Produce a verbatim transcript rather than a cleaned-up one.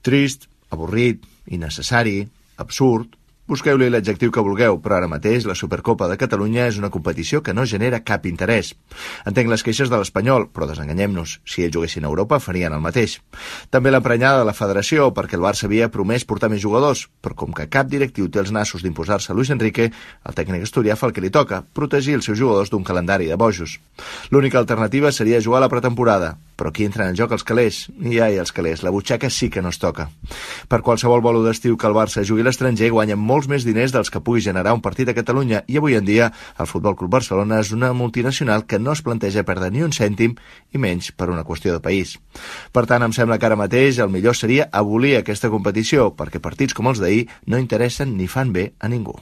Trist, avorrit, innecessari, absurd... Busqueu-li l'adjectiu que vulgueu, però ara mateix la Supercopa de Catalunya és una competició que no genera cap interès. Entenc les queixes de l'Espanyol, però desenganyem-nos. Si ells juguessin a Europa, farien el mateix. També l'emprenyada de la federació, perquè el Barça havia promès portar més jugadors, però com que cap directiu té els nassos d'imposar-se a Luis Enrique, el tècnic asturià fa el que li toca, protegir els seus jugadors d'un calendari de bojos. L'única alternativa seria jugar a la pretemporada, però aquí entren en joc els calés. I ai, els calés, la butxaca sí que no es toca. Per qualsevol bolo d'estiu que el Barça jugui a l'estranger, guanyen molts més diners dels que pugui generar un partit a Catalunya, i avui en dia el Futbol Club Barcelona és una multinacional que no es planteja perdre ni un cèntim, i menys per una qüestió de país. Per tant, em sembla que ara mateix el millor seria abolir aquesta competició, perquè partits com els d'ahir no interessen ni fan bé a ningú.